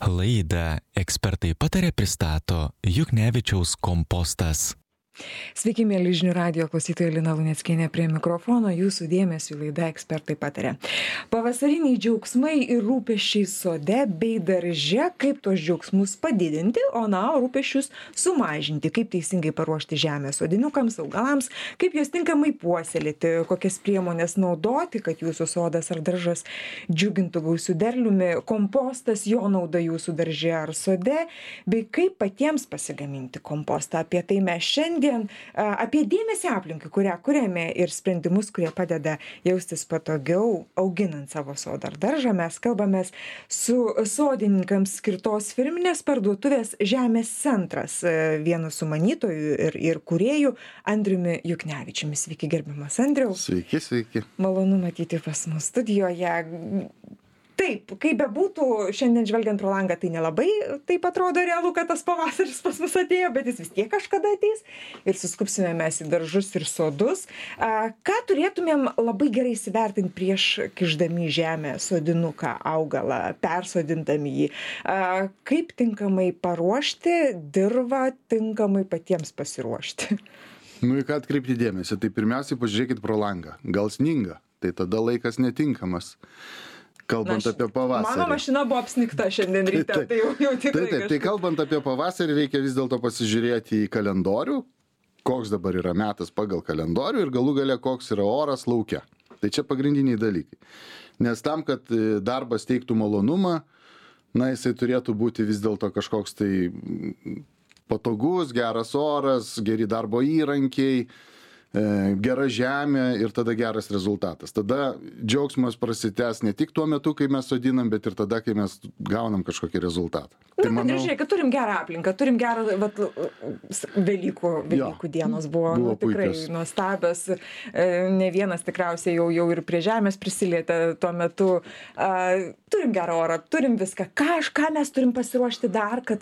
Laidą Ekspertai pataria pristato Juknevičiaus kompostas. Sveiki, mėly žinių radijo klausytojai, Lina Luneckienė prie mikrofono, jūsų dėmesiu laida Ekspertai pataria. Pavasariniai džiaugsmai ir rūpesčiai sode bei darže, kaip tos džiaugsmus padidinti, o rūpesčius sumažinti, kaip teisingai paruošti žemę sodinukams, augalams, kaip juos tinkamai puoselėti, kokias priemonės naudoti, kad jūsų sodas ar daržas džiugintų gausiu derliumi, kompostas, jo nauda jūsų darže ar sode, bei kaip patiems pasigaminti kompostą. Apie tai mes šiandien apie dėmesį aplinkai, kurią kuriame ir sprendimus, kurie padeda jaustis patogiau, auginant savo sodą ar daržą. Mes kalbamės su sodininkams skirtos firminės parduotuvės Žemės centras, vienu sumanytojų ir kūrėjų Andriumi Juknevičiumi. Sveiki, gerbiamas Andriau. Sveiki, sveiki. Malonu matyti pas mus studijoje. Taip, kaip bebūtų, šiandien žvelgiant pro langą, tai nelabai taip atrodo realu, kad tas pavasaris pas mus atėjo, bet jis vis tiek kažkada ateis ir suskupsime mes į daržus ir sodus. Ką turėtumėm labai gerai įsivertinti prieš kišdami į žemę sodinuką, augalą, persodindami jį? Kaip tinkamai paruošti dirvą, tinkamai patiems pasiruošti? Į ką atkreipti dėmesį? Tai pirmiausiai pažiūrėkit pro langą. Gal sninga, tai tada laikas netinkamas. Kalbant apie pavasarį. Mano mašina buvo apsnigta šiandien ryte, tai jau tikrai. Taip, tai kalbant apie pavasarį, reikia vis dėlto pasižiūrėti į kalendorių, koks dabar yra metas pagal kalendorių ir galų gale koks yra oras lauke. Tai čia pagrindiniai dalykai. Nes tam, kad darbas teiktų malonumą, jisai turėtų būti vis dėlto kažkoks tai patogus, geras oras, geri darbo įrankiai, gera žemė ir tada geras rezultatas. Tada džiaugsmas prasitęs ne tik tuo metu, kai mes sodinam, bet ir tada, kai mes gaunam kažkokį rezultatą. Tai manau, žiūrėk, turim gerą aplinką, turim gerą Velykų dienos buvo tikrai nuostabios. Ne vienas tikriausiai jau ir prie žemės prisilietė tuo metu. Turim gerą orą, turim viską. Ką mes turim pasiruošti dar, kad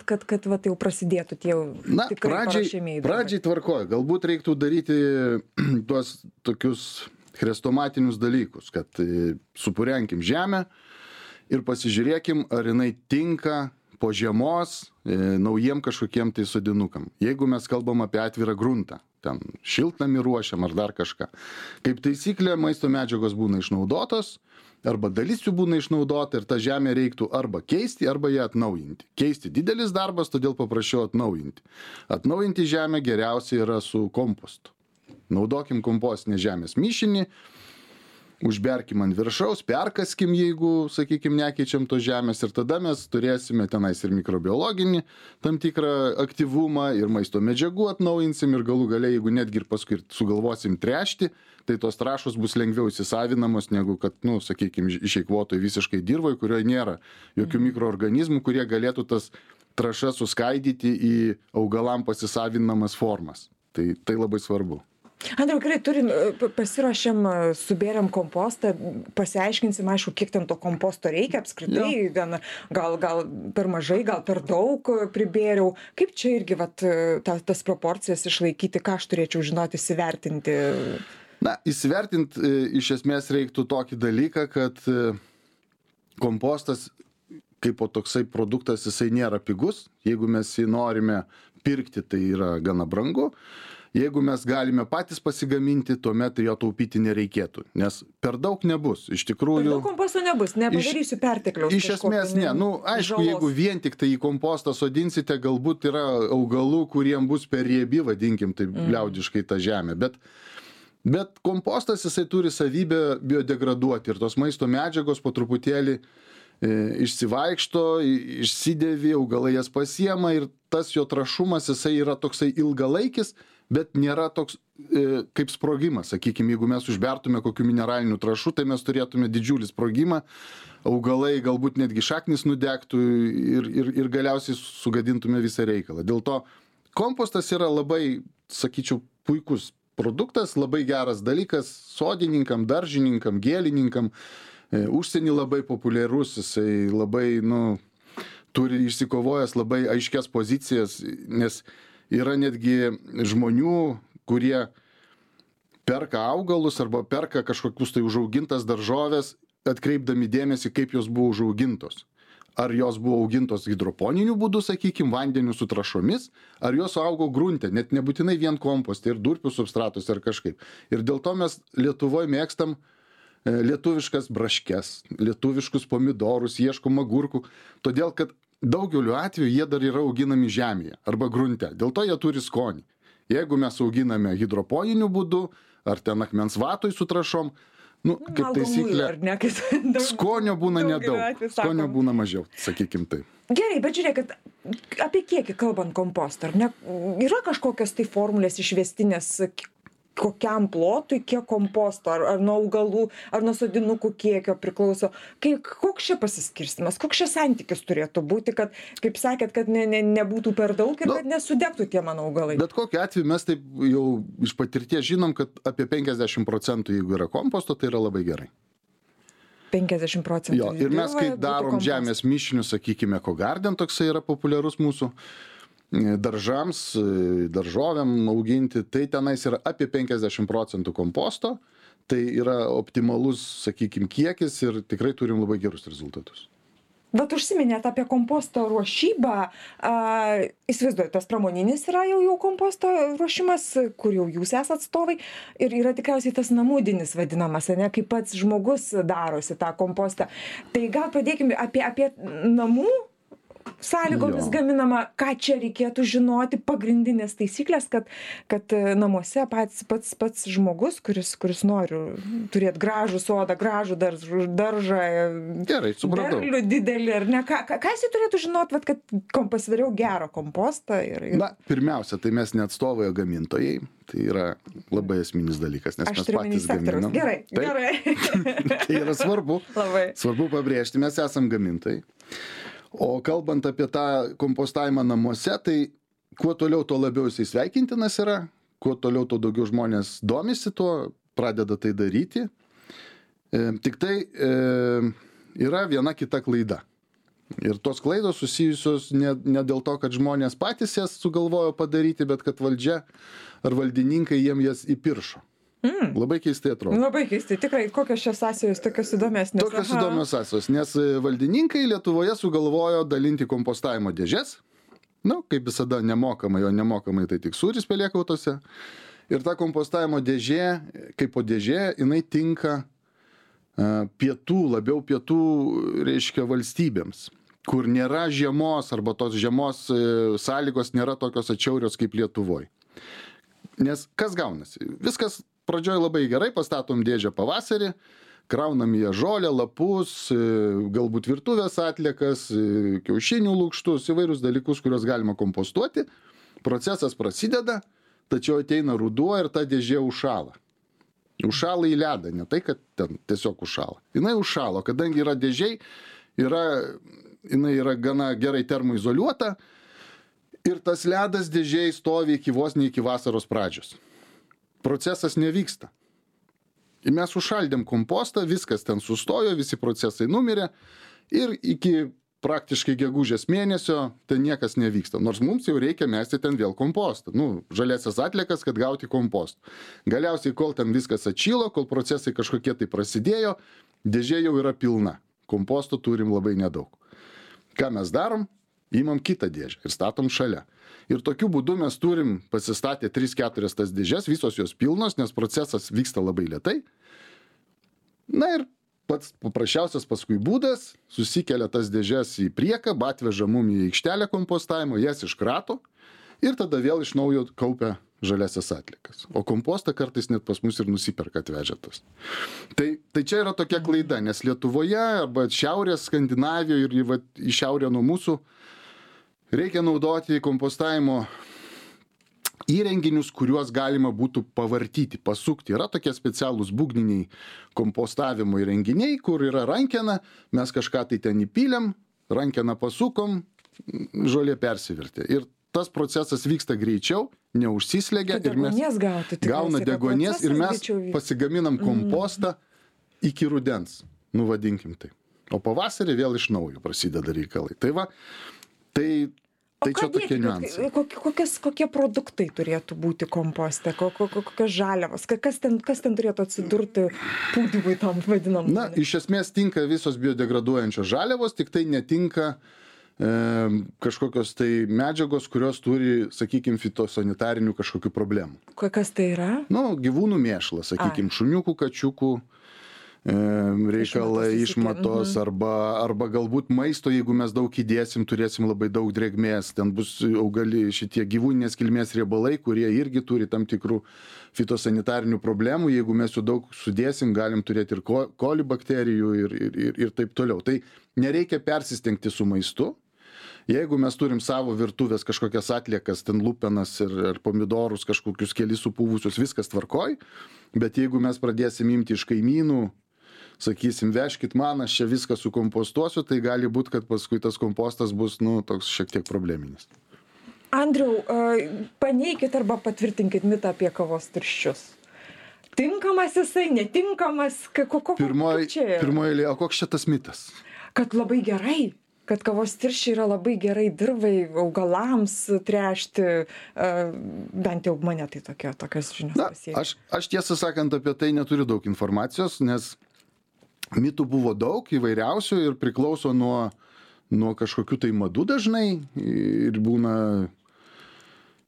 jau prasidėtų tie tikrai paruošiamieji darbai? Pradžiai tvarkoj. Galbūt reiktų daryti tuos tokius chrestomatinius dalykus, kad supurenkim žemę ir pasižiūrėkim, ar jinai tinka po žiemos naujiem kažkokiem tai sodinukam. Jeigu mes kalbam apie atvirą gruntą, ten šiltnamį ruošiam ar dar kažką. Kaip taisyklė, maisto medžiagos būna išnaudotos, arba dalis jų būna išnaudota ir tą žemę reiktų arba keisti, arba ją atnaujinti. Keisti didelis darbas, todėl paprašiau atnaujinti. Atnaujinti žemę geriausiai yra su kompostu. Naudokim kompostinės žemės mišinį, užberkim ant viršaus, perkaskim, jeigu, sakykim, nekeičiam tos žemės ir tada mes turėsime tenais ir mikrobiologinį tam tikrą aktyvumą ir maisto medžiagų atnaujinsim ir galų gale, jeigu netgi ir paskui sugalvosim tręšti, tai tos trąšos bus lengviau įsisavinamos negu kad, sakykim, išeikvotoj visiškai dirvoj, kurioje nėra jokių mikroorganizmų, kurie galėtų tas trąšas suskaidyti į augalam pasisavinamas formas. Tai labai svarbu. Andriau, gerai, pasiruošėm, subėrėm kompostą, pasiaiškinsim, aišku, kiek ten to komposto reikia apskritai, gal per mažai, gal per daug pribėriau. Kaip čia irgi tas proporcijas išlaikyti, ką aš turėčiau žinoti, įsivertinti? Įsivertinti iš esmės reiktų tokį dalyką, kad kompostas kaip po toksai produktas, jisai nėra pigus. Jeigu mes jį norime pirkti, tai yra gana brangu. Jeigu mes galime patys pasigaminti, tuomet jo taupyti nereikėtų, nes per daug nebus. Iš tikrųjų... Per daug komposto nebus, nepadarysiu pertekliaus. Iš esmės ne. Aišku, jeigu vien tik tai į kompostą sodinsite, galbūt yra augalų, kuriem bus per riebi, vadinkim, taip liaudiškai tą žemę. Bet kompostas jisai turi savybę biodegraduoti ir tos maisto medžiagos po truputėlį išsivaikšto, išsidėvi, augalai jas pasiema ir tas jo trašumas jisai yra toksai ilgalaikis, bet nėra toks kaip sprogimas. Sakykime, jeigu mes užbertume kokių mineralinių trąšų, tai mes turėtume didžiulį sprogimą, augalai galbūt netgi šaknis nudegtų ir galiausiai sugadintume visą reikalą. Dėl to kompostas yra labai, sakyčiau, puikus produktas, labai geras dalykas sodininkam, daržininkam, gėlininkam. Užsienį labai populiarus, jisai labai, turi išsikovojęs labai aiškias pozicijas, nes yra netgi žmonių, kurie perka augalus arba perka kažkokius tai užaugintas daržovės, atkreipdami dėmesį, kaip jos buvo užaugintos. ar jos buvo augintos hidroponiniu būdu, sakykime, vandeniu su trąšomis, ar jos augo grunte, net nebūtinai vien komposte ir durpių substratus ar kažkaip. Ir dėl to mes Lietuvoje mėgstam lietuviškas braškes, lietuviškus pomidorus, ieškom agurkų, todėl kad daugeliu atveju jie dar yra auginami žemėje arba grunte, dėl to jie turi skonį. Jeigu mes auginame hidroponiniu būdu, ar ten akmens vatoj su trąšom, kaip taisyklė, skonio būna nedaug, skonio būna mažiau, sakykim taip. Gerai, bet žiūrėkit, apie kiekį kalbant kompostą, ar ne? Yra kažkokios tai formulės išvestinės, kokiam plotui, kiek komposto, ar nuo augalų, ar nuo sodinukų kiekio priklauso. Koks čia pasiskirstimas, koks čia santykis turėtų būti, kad, kaip sakėt, kad nebūtų per daug ir kad nesudegtų tie mano augalai? Bet kokiu atveju mes taip jau iš patirties žinom, kad apie 50%, jeigu yra komposto, tai yra labai gerai. 50%. Jo, ir mes, kai darom žemės mišinius, sakykime, EcoGarden, toksai yra populiarus mūsų, daržams, daržovėm auginti, tai tenais yra apie 50% komposto, tai yra optimalus, sakykime, kiekis ir tikrai turim labai gerus rezultatus. Bet užsiminėt apie komposto ruošybą, įsivaizduoju, tas pramoninis yra jau komposto ruošimas, kur jau jūs esat atstovai, ir yra tikriausiai tas namudinis vadinamas, ne, kaip pats žmogus darosi tą kompostą. Tai gal pradėkime apie namų sąlygomis gaminama, ką čia reikėtų žinoti, pagrindinės taisyklės, kad namuose pats žmogus, kuris nori turėti gražų sodą, gražų daržą, gerai, supratau, derlių didelį, ar ne, ką jis turėtų žinoti, kad pasidariau gerą kompostą? Na, pirmiausia, tai mes ne atstovai, o gamintojai. Tai yra labai esminis dalykas, nes mes patys gaminam. Gerai. Tai yra svarbu. Labai. Svarbu pabrėžti, mes esam gamintojai. O kalbant apie tą kompostavimą namuose, tai kuo toliau, tuo labiau jisai sveikintinas yra, kuo toliau, tuo daugiau žmonės domisi tuo, pradeda tai daryti. Tik tai yra viena kita klaida. Ir tos klaidos susijusios ne dėl to, kad žmonės patys jas sugalvojo padaryti, bet kad valdžia ar valdininkai jiem jas įpiršo. Labai keistai atrodo. Labai keistai, tikrai, kokios šios sąsajos tokios įdomesnės? Tokios įdomios sąsajos, nes valdininkai Lietuvoje sugalvojo dalinti kompostavimo dėžes, kaip visada nemokamai, o nemokamai tai tik sūris pelėkautose. Ir ta kompostavimo dėžė, kaip po dėžė, jinai tinka labiau pietų, reiškia, valstybėms, kur nėra žiemos arba tos žiemos sąlygos nėra tokios atšiaurios kaip Lietuvoje. Nes kas gaunasi? Viskas pradžioj labai gerai, pastatom dėžę pavasarį, kraunam ją žolę, lapus, galbūt virtuvės atliekas, kiaušinių lukštus, įvairius dalykus, kuriuos galima kompostuoti. Procesas prasideda, tačiau ateina ruduo ir ta dėžė užšąla. Užšąla į ledą, ne tai, kad ten tiesiog užšąla. Jinai užšąla, kadangi yra dėžiai, jinai yra gana gerai termoizoliuota ir tas ledas dėžiai stovi vos ne iki vasaros pradžios. Procesas nevyksta. Ir mes užšaldėm kompostą, viskas ten sustojo, visi procesai numirė ir iki praktiškai gegužės mėnesio ten niekas nevyksta. Nors mums jau reikia mesti ten vėl kompostą. Žaliasias atliekas, kad gauti kompostą. Galiausiai, kol ten viskas atšilo, kol procesai kažkokie tai prasidėjo, dėžė jau yra pilna. Komposto turim labai nedaug. Ką mes darom? Įmam kitą dėžę ir statom šalia. Ir tokiu būdu mes turim pasistatę 3-4 tas dėžes, visos jos pilnos, nes procesas vyksta labai lėtai. Na ir pats paprasčiausias paskui būdas, susikelia tas dėžes į priekabą, atveža mum į aikštelę kompostavimo, jas iškrato ir tada vėl iš naujo kaupia žaliasias atliekas. O kompostą kartais net pas mus ir nusiperka atvežėtas. Tai čia yra tokia klaida, nes Lietuvoje arba šiaurės Skandinavijoje ir į šiaurę nuo mūsų reikia naudoti kompostavimo įrenginius, kuriuos galima būtų pavartyti, pasukti. Yra tokie specialūs būgniniai kompostavimo įrenginiai, kur yra rankena, mes kažką tai ten įpylėm, rankeną pasukom, žolė persivertė. Ir tas procesas vyksta greičiau, neužsislegia ir mes gauna deguonies ir mes pasigaminam kompostą iki rudens, vadinkim tai. O pavasarį vėl iš naujo prasideda reikalai. Tai Tai čia tokie niuansai. Kokie produktai turėtų būti komposte, kokios žaliavos, kas ten turėtų atsidurti pūdymui tam vadinam? Na, iš esmės tinka visos biodegraduojančios žaliavos, tik tai netinka kažkokios tai medžiagos, kurios turi, sakykime, fitosanitarinių kažkokių problemų. Kas tai yra? Nu, gyvūnų mėšlas, sakykime, šuniukų, kačiukų, reikalai, išmatos arba galbūt maisto, jeigu mes daug įdėsim, turėsim labai daug drėgmės, ten bus augali šitie gyvūninės kilmės riebalai, kurie irgi turi tam tikrų fitosanitarinių problemų, jeigu mes jų daug sudėsim, galim turėti ir koli bakterijų ir taip toliau. Tai nereikia persistengti su maistu. Jeigu mes turim savo virtuvės kažkokias atliekas, ten lupenas ir pomidorus, kažkokius kelis supūvusius, viskas tvarkoj, bet jeigu mes pradėsim imti iš kaimynų, sakysim, vežkit man, aš čia viską sukompostuosiu, tai gali būti, kad paskui tas kompostas bus, toks šiek tiek probleminis. Andriau, paneikit arba patvirtinkit mitą apie kavos tirščius. Tinkamas jisai, netinkamas, Pirmoji, o koks čia tas mitas? Kad labai gerai. Kad kavos tirščiai yra labai gerai dirvai, augalams tręšti, bent jau mane tai tokios žinios pasiekia. Aš tiesą sakant apie tai neturiu daug informacijos, nes mitų buvo daug įvairiausių ir priklauso nuo kažkokių tai madų dažnai ir būna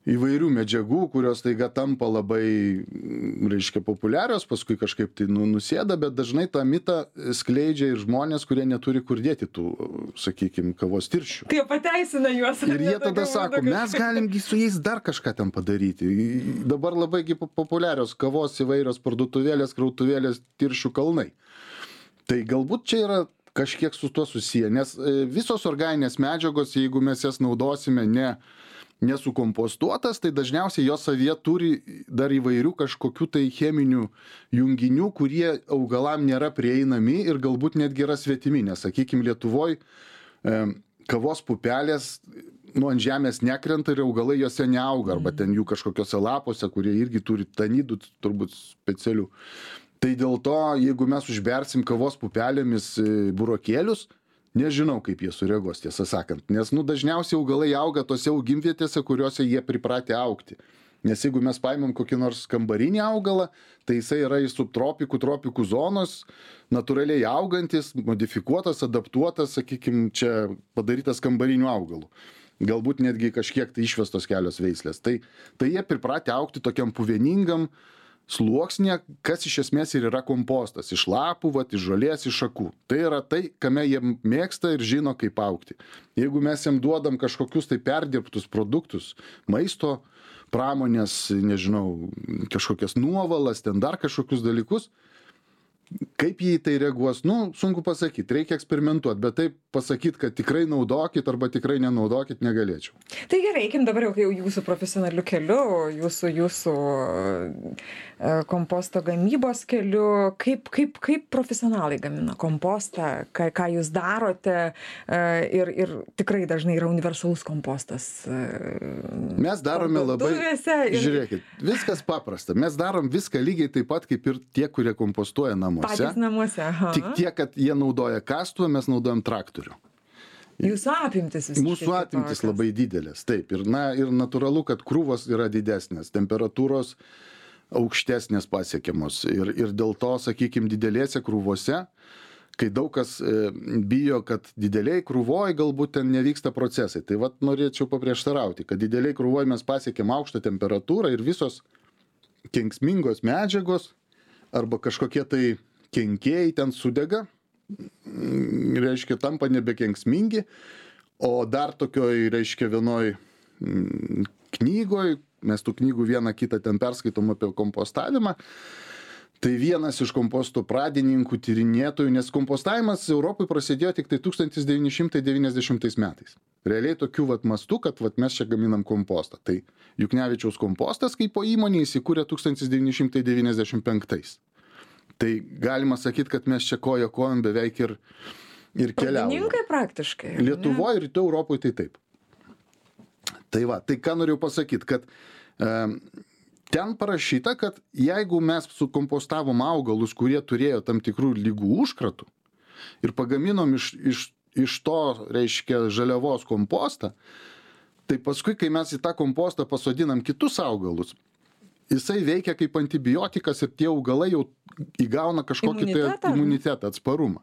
įvairių medžiagų, kurios taiga tampa labai, reiškia, populiarios, paskui kažkaip tai nusėda, bet dažnai tą mitą skleidžia ir žmonės, kurie neturi kur dėti tų, sakykime, kavos tirščių. Tai pateisina juos. Ir jie tada sako, mes galimgi su jais dar kažką ten padaryti. Dabar labai populiarios kavos įvairios parduotuvėlės, krautuvėlės, tirščių kalnai. Tai galbūt čia yra kažkiek su tuo susiję, nes visos organinės medžiagos, jeigu mes jas naudosime nesukompostuotas, tai dažniausiai jos savyje turi dar įvairių kažkokių tai cheminių junginių, kurie augalam nėra prieinami ir galbūt netgi yra svetimi, nes, sakykime, Lietuvoj kavos pupelės ant žemės nekrenta ir augalai jose neauga, arba ten jų kažkokiose lapuose, kurie irgi turi tanidų turbūt specialių. Tai dėl to, jeigu mes užbersim kavos pupelėmis burokėlius, nežinau, kaip jie sureaguos, tiesą sakant. Nes dažniausiai augalai auga tose augimvietėse, kuriuose jie pripratę augti. Nes jeigu mes paimam kokį nors kambarinį augalą, tai jisai yra iš subtropikų, tropikų zonos, natūraliai augantis, modifikuotas, adaptuotas, sakykime, čia padarytas kambarinių augalų. Galbūt netgi kažkiek tai išvestos kelios veislės. Tai jie pripratę augti tokiam puveningam sluoksnė, kas iš esmės ir yra kompostas. Iš lapų, iš žolės, iš šakų. Tai yra tai, kame jie mėgsta ir žino, kaip augti. Jeigu mes jam duodam kažkokius tai perdirbtus produktus, maisto, pramonės, nežinau, kažkokias nuovalas, ten dar kažkokius dalykus, kaip jį tai reaguos, sunku pasakyti, reikia eksperimentuoti, bet taip pasakyti, kad tikrai naudokit arba tikrai nenaudokit, negalėčiau. Tai gerai, eikim dabar jau jūsų profesionaliu keliu, jūsų komposto gamybos keliu, kaip profesionalai gamina kompostą, ką jūs darote ir tikrai dažnai yra universalus kompostas. Mes darome labai, žiūrėkit, viskas paprasta, mes darom viską lygiai taip pat, kaip ir tie, kurie kompostuoja namuose. Patys namuose, aha. Tik tiek, kad jie naudoja kastuvą, mes naudojam traktorių. Jūsų apimtis visiškai. Mūsų apimtis labai didelės, taip. Ir natūralu, kad krūvos yra didesnės, temperatūros aukštesnės pasiekiamos. Ir dėl to, sakykime, didelėse krūvose, kai daug kas bijo, kad dideliai krūvoj galbūt ten nevyksta procesai. Tai norėčiau paprieštarauti, kad dideliai krūvoj mes pasiekėm aukštą temperatūrą ir visos kenksmingos medžiagos arba kažkokie tai kenkėjai ten sudega, reiškia, tampa nebekenksmingi, o dar tokioj, reiškia, vienoj knygoj, mes tų knygų vieną kitą ten perskaitom apie kompostavimą, tai vienas iš komposto pradininkų, tyrinėtojų, nes kompostavimas Europai prasidėjo tik tai 1990 metais. Realiai tokių mastų, kad mes čia gaminam kompostą. Tai Juknevičiaus kompostas kaip po įmonė įsikūrė 1995. Tai galima sakyti, kad mes čia koja kojom beveik ir keliaujame. Pradininkai praktiškai. Lietuvoje ir Rytų Europoje tai taip. Tai ką noriu pasakyti, kad ten parašyta, kad jeigu mes sukompostavom augalus, kurie turėjo tam tikrų ligų užkratų ir pagaminom iš to, reiškia, žaliavos kompostą, Tai paskui, kai mes į tą kompostą pasodinam kitus augalus, jisai veikia kaip antibiotikas ir tie augalai jau įgauna kažkokį imunitetą, atsparumą.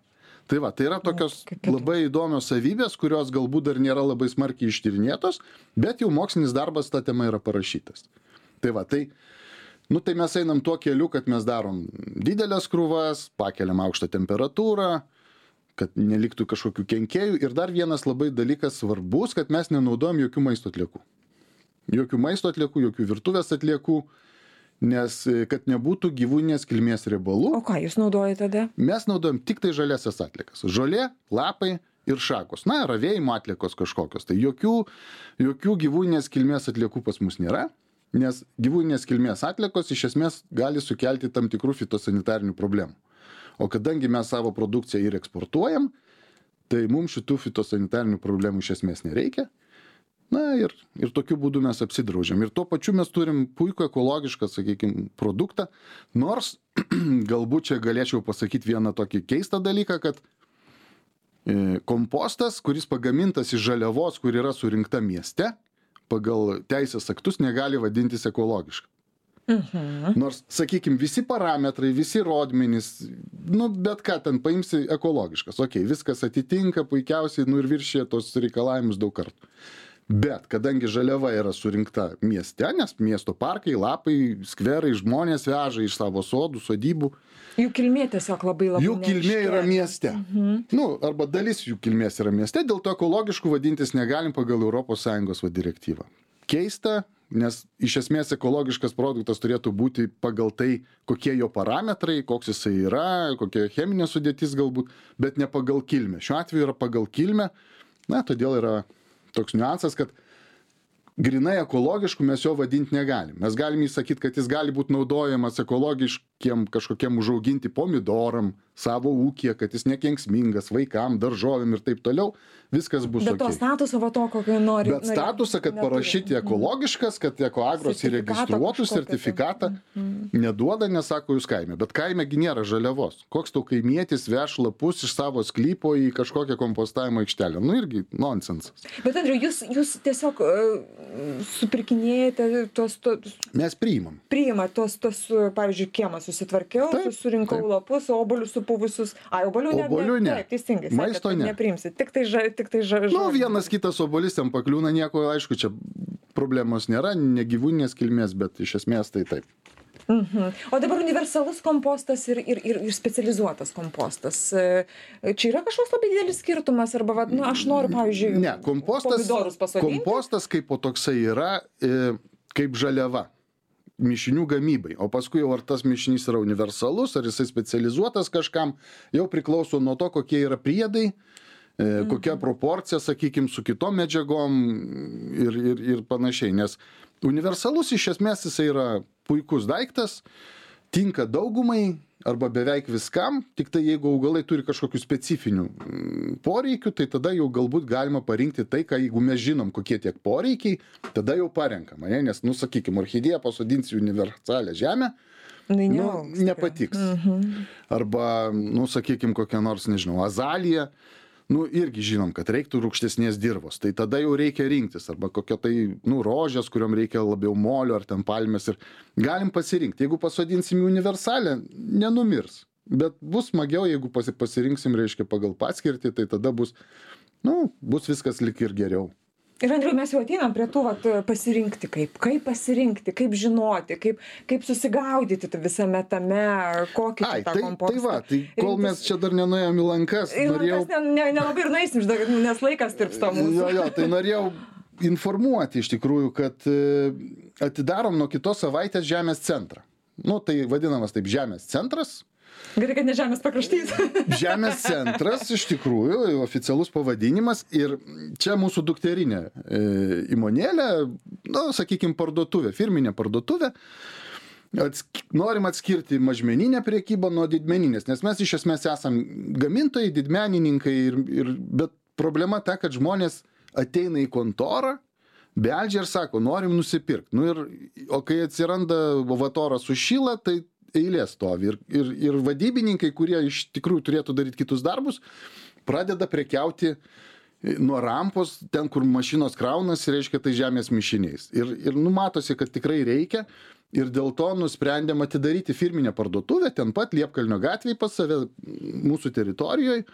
Tai va, tai yra tokios labai įdomios savybės, kurios galbūt dar nėra labai smarkiai ištyrinėtos, bet jau mokslinis darbas tą temą yra parašytas. Tai va, tai mes einam tuo keliu, kad mes darom didelės krūvas, pakeliam aukštą temperatūrą, kad neliktų kažkokių kenkėjų. Ir dar vienas labai dalykas svarbus, kad mes nenaudojam jokių maisto atliekų. Jokių maisto atliekų, jokių virtuvės atliekų, nes kad nebūtų gyvūninės kilmės riebalų. O ką jūs naudojate tada? Mes naudojam tik tai žaliasias atliekas. Žolė, lapai ir šakos. Na, ravėjimo atliekos kažkokios. Tai jokių gyvūninės kilmės atliekų pas mus nėra, nes gyvūninės kilmės atliekos iš esmės gali sukelti tam tikrų fitosanitarinių problemų. O kadangi mes savo produkciją ir eksportuojam, tai mums šitų fitosanitarinių problemų iš esmės nereikia. Na ir tokiu būdu mes apsidraudžiam. Ir tuo pačiu mes turim puikų ekologišką, sakykime, produktą. Nors galbūt čia galėčiau pasakyti vieną tokį keistą dalyką, kad kompostas, kuris pagamintas iš žaliavos, kur yra surinkta mieste, pagal teisės aktus negali vadintis ekologiška. Nors, sakykime, visi parametrai, visi rodmenys, bet ką ten paimsi ekologiškas. Ok, viskas atitinka puikiausiai, ir viršė tos reikalavimus daug kartų. Bet kadangi žaliava yra surinkta mieste, nes miesto parkai, lapai, skverai, žmonės veža iš savo sodų, sodybų. Jų kilmė tiesiog labai jų kilmė yra mieste. Arba dalis jų kilmės yra mieste, dėl to ekologiškų vadintis negalim pagal ES direktyvą. Keista, nes iš esmės ekologiškas produktas turėtų būti pagal tai, kokie jo parametrai, koks jisai yra, kokia cheminė sudėtis galbūt, bet ne pagal kilmę. Šiuo atveju yra pagal kilmę, todėl yra toks niuansas, kad grinai ekologiškų mes jo vadinti negalim. Mes galim įsakyti, kad jis gali būti naudojamas ekologiškiem kažkokiem užauginti pomidoram savo ūkyje, kad jis nekenksmingas vaikam, daržovėm ir taip toliau. Viskas bus bet to statuso va to, kokio nori. Bet statusą, kad parašyti ekologiškas, kad Ekoagros įregistruotų sertifikatą, neduoda, nesako jūs kaime. Bet kaimegi nėra žaliavos. Koks tau kaimietis veš lapus iš savo sklypo į kažkokią kompostavimo aikštelę? Irgi nonsensas. Bet Andriau, jūs tiesiog supirkinėjate tos... Mes priimam. Priimat tos, pavyzdžiui, kiemą susitvarkiau, surinkau lapus, obuolius supuvusius. Obuolių ne. Taip, teisingai. Maisto ne. Nepriimsit. Tik tai vienas kitas obuolys ten pakliūna, nieko, aišku, čia problemos nėra, ne gyvūninės kilmės, bet iš esmės tai taip. O dabar universalus kompostas ir specializuotas kompostas. Čia yra kažkoks labai didelis skirtumas, arba, aš noriu, pavyzdžiui, ne, pomidorus pasodinti? Kompostas kaip po toksai yra kaip žaliava mišinių gamybai, o paskui jau ar tas mišinys yra universalus, ar jisai specializuotas kažkam, jau priklauso nuo to, kokie yra priedai, kokia proporcija, sakykime, su kitom medžiagom ir panašiai. Nes universalus iš esmės jisai yra puikus daiktas, tinka daugumai arba beveik viskam, tik tai jeigu augalai turi kažkokių specifinių poreikių, tai tada jau galbūt galima parinkti tai, ką jeigu mes žinom, kokie tiek poreikiai, tada jau parenkam. Nes, sakykime, orchidėją pasodinsi universalią žemę, nepatiks. Arba, sakykime, kokią nors, nežinau, azaliją, irgi žinom, kad reiktų rūgštesnės dirvos, tai tada jau reikia rinktis, arba kokia tai, rožės, kuriuom reikia labiau molio, ar ten palmės, ir galim pasirinkti. Jeigu pasodinsim į universalę, nenumirs, bet bus smagiau, jeigu pasirinksim, reiškia, pagal paskirtį, tai tada bus viskas lik ir geriau. Ir Andriau, mes jau ateinam prie tų pasirinkti, kaip pasirinkti, kaip žinoti, kaip susigaudyti visame tame, kokį tą kompostą. Tai kol mes čia dar nenuėjom į lankas, nelabai ir nueisim, nes laikas tirpsta mūsų. Tai norėjau informuoti iš tikrųjų, kad atidarom nuo kitos savaitės žemės centrą. Tai vadinamas taip žemės centras. Gerai, kad ne žemės pakraštys. Žemės centras, iš tikrųjų, oficialus pavadinimas, ir čia mūsų dukterinė įmonėlė, sakykime, parduotuvė, firminė parduotuvė. Norim atskirti mažmeninę prekybą nuo didmeninės, nes mes iš esmės esam gamintojai, didmenininkai, bet problema ta, kad žmonės ateina į kontorą, beldžia ir sako, norim nusipirkti. O kai atsiranda vatoras sušyla, tai eilė stovi. Ir vadybininkai, kurie iš tikrųjų turėtų daryti kitus darbus, pradeda prekiauti nuo rampos, ten, kur mašinos kraunasi, reiškia, tai žemės mišiniais. Ir matosi, kad tikrai reikia. Ir dėl to nusprendėm atidaryti firminę parduotuvę, ten pat Liepkalnio gatvėje pas save, mūsų teritorijoje,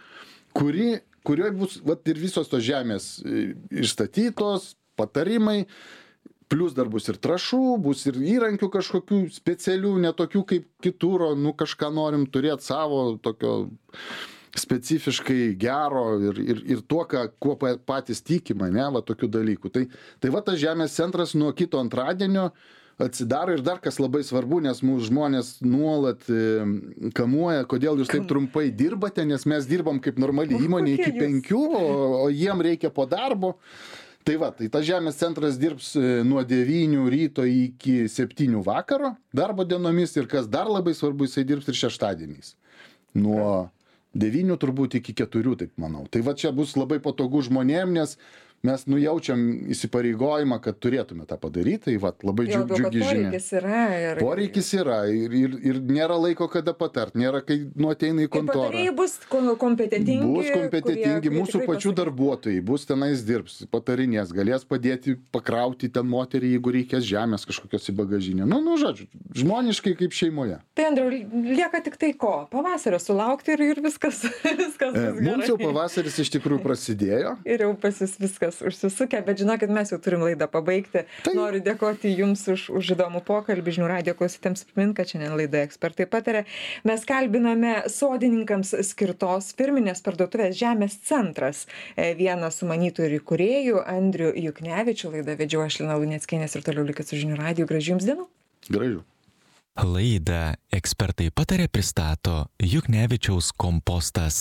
kurioje bus ir visos tos žemės išstatytos, patarimai, plus dar bus ir trąšų, bus ir įrankių kažkokių specialių, netokių kaip kitur, kažką norim turėti savo tokio specifiškai gero ir tuo, kuo patys tikima, ne, va tokių dalykų. Tai va tas žemės centras nuo kito antradienio atsidaro ir dar kas labai svarbu, nes mūsų žmonės nuolat kamuoja, kodėl jūs taip trumpai dirbate, nes mes dirbam kaip normali įmonė iki 5, o jiem reikia po darbo. Tai tas žemės centras dirbs nuo 9 ryto iki 7 vakaro darbo dienomis ir kas dar labai svarbu, jisai dirbs ir šeštadieniais. Nuo 9 turbūt iki 4, taip manau. Tai va čia bus labai patogu žmonėm, nes mes nujaučiam įsipareigojimą, kad turėtume tą padaryti, tai labai džiugi žinia. Poreikis yra ir nėra laiko kada patart, nėra kai ateina į kontorą. Patarėjai bus kompetentingi. Bus kompetentingi, mūsų pačių darbuotojai, bus tenais dirbs, patarinės, galės padėti pakrauti ten moterį, jeigu reikės žemės kažkokios į bagažinę. Žodžiu, žmoniškai kaip šeimoje. Tai, Andriau, lieka tik tai ko? Pavasario sulaukti ir viskas bus gerai. Mums jau pavasaris iš tikrųjų prasidėjo. Ir jau pas jūs viskas užsisukę, bet žinokit, mes jau turim laidą pabaigti. Noriu dėkoti Jums už įdomų pokalbį. Žinių radijo klausytėms primint, kad šiandien laidoje Ekspertai pataria. Mes kalbiname sodininkams skirtos firminės parduotuvės Žemės centras. Vienas sumanytojų ir įkūrėjų Andrių Juknevičių. Laidą vedžiau aš, Lina Luneckienė, ir toliau likit su Žinių radiju. Gražių Jums dienų. Gražių. Laidą Ekspertai pataria pristato Juknevičiaus kompostas.